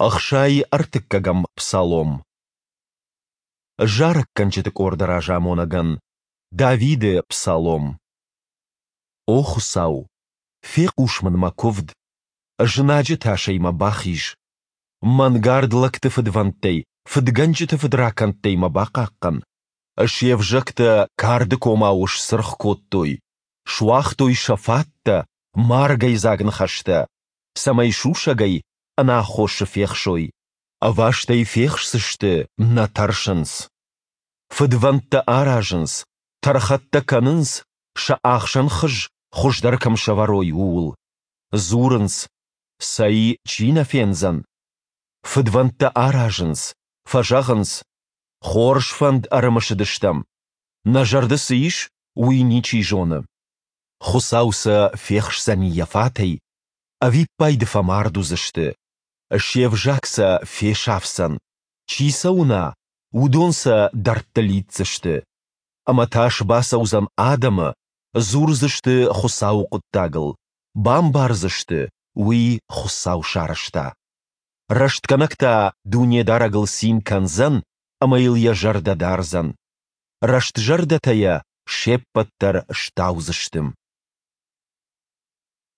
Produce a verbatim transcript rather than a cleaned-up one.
Ӕхсай ӕртыккӕгӕм псалом. Зарӕггӕнджыты къорды разамонӕгӕн. Давиды псалом. О Хуыцау, фехъус мын мӕ куывд, знаджы тасӕй мӕ бахиз. Мӕнгард лӕгты фыдвӕндтӕй, фыдгӕнджыты фыдракӕндтӕй мӕ бахъахъхъӕн. Се взӕгтӕ карды комау сцыргъ кодтой, суагътой сӕ фаттӕ, маргӕйдзаг ныхӕстӕ, цӕмӕй сусӕгӕй ӕнаххосы фехсой. Ӕвастӕй фехсдзысты, нӕ тӕрсынц. Фыдвӕндтӕ аразынц, тӕрхӕттӕ кӕнынц, сӕ ахсӕн хыз хуыздӕр кӕм сӕвӕрой, ууыл. Дзурынц: Цӕй, чи нӕ фендзӕн? Фыдвӕндтӕ аразынц, фӕзӕгъынц: Хорз фӕнд ӕрымысыдыстӕм. Нӕ зӕрды цы ис, уый ничи зоны. Хуыцау сӕ фехсдзӕни йӕ фатӕй, ӕвиппайды фӕмард уыдзысты. Се взаг сӕ фесафдзӕн, чи сӕ уына, уыдон сӕ дӕрдты лидздзысты. Ӕмӕ тас бацӕудзӕн адӕмы, дзурдзысты Хуыцауы хъуыддагыл, бамбардзысты, уый Хуыцау сарӕзта. Рӕстгӕнӕг та Дунедарӕгыл цин кӕндзӕн ӕмӕ йыл йӕ зӕрдӕ дардзӕн. Рӕстзӕрдӕтӕ йӕ се ппӕт дӕр стаудзысты.